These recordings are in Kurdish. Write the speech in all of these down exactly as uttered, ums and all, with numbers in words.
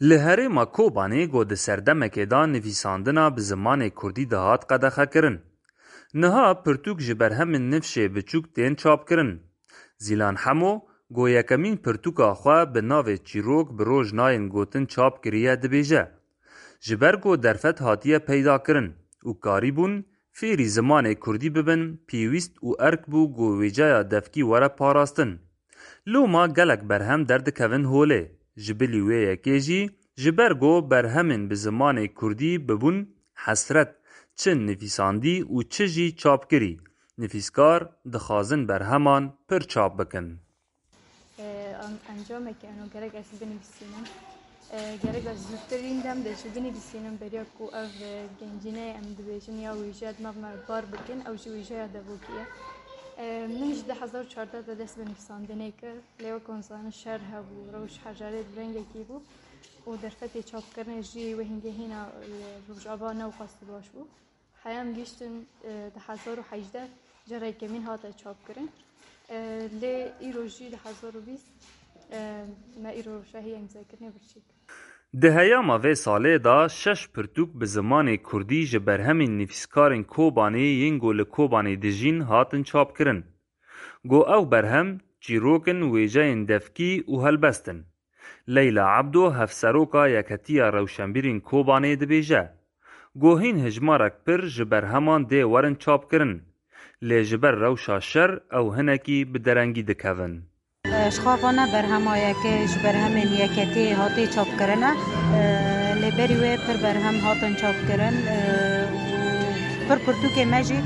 Li herêma Kobanê ku di serdemekê de nivîsandina bi zimanê kurdî dihat qedexekirin, niha pirtûk ji berhemên nifşê biçûk tên çapkirin. Zîlan Hemo, ku yekemîn pirtûka xwe bi navê Çîrok bi rojnayên gotin çap kiriye, dibêje, ji ber ku derfet hatiye peydakirin û karîbûn fêrî zimanê kurdî bibin, pêwîst û erk bû ku wêceya devkî were parastin. Loma gelek berhem derdikevin holê. Ji bilî wê yekê jî, ji ber ku berhemên bi zimanê kurdî bibûn hesret, çi nivîsandî û çi jî çapkirî, nivîskar dixwazin berheman pir çap bikin. Ee, an- Encamekî eno gerek ez binivîsînim. Ee, gerek ez zûtirîn dem de jî binivîsînim, beriya ku ev, e, gencîneyê em dibêjin ya wêje di nav me bar bikin, ew jî wêjeya devokî ye. Ee, min ji du hezar û çardeh de dest bi nivîsandinê kir. Lê wek hûn zanin şer hebû, rewş hejarê bi rengekî bû û derfetê çapkirinê jî wê hingehîna, e, Rojava ne wexwastî baş bû. Heya em gihîştin, e, du hezar û hejdeh cara yekemîn hate çapkirin. E, lê îro jî du hezar û bîst, e, me îro rewşa hêya îmzekirinê birçî kir. Di heyama vê salê de şeş pirtûk bi zimanê kurdî ji berhemên nivîskarên Kobanê yên ku li Kobanê dijîn hatin çapkirin. Go ew berhem çîrok in, wêjeyên devkî û helbest in. Leyla Ebdo, hevseroka Yeketiya Rewşenbîrên Kobanê, dibêje, go hîn hijmarek pir ji berheman dê werin çapkirin, lê ji ber rewşa şer ew hinekî bi derengî dikevin. Ji xwe vana berhema yekê ji berhemên yeketiyê hatê çapkirine. Lê berî wê pir berhem hatin çapkirin û pir pirtûkê me jî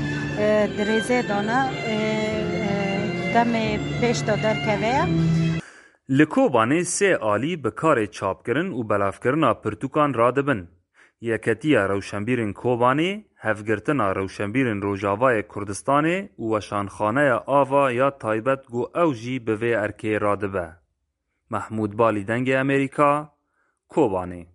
di rêzê de ne, demê pêş de derkeve ye. Li Kobanê sê alî bi karê çapkirin û belavkirina pirtûkan radibin. Yeketiya Rewşenbîrên Kobanê, Hevgirtina Rewşenbîrên Rojavayê Kurdistanê û Weşanxaneya Ava ya taybet ku ew jî bi vê erkê radibe. Mehmûd Balî, Dengê Amerîka, Kobanê.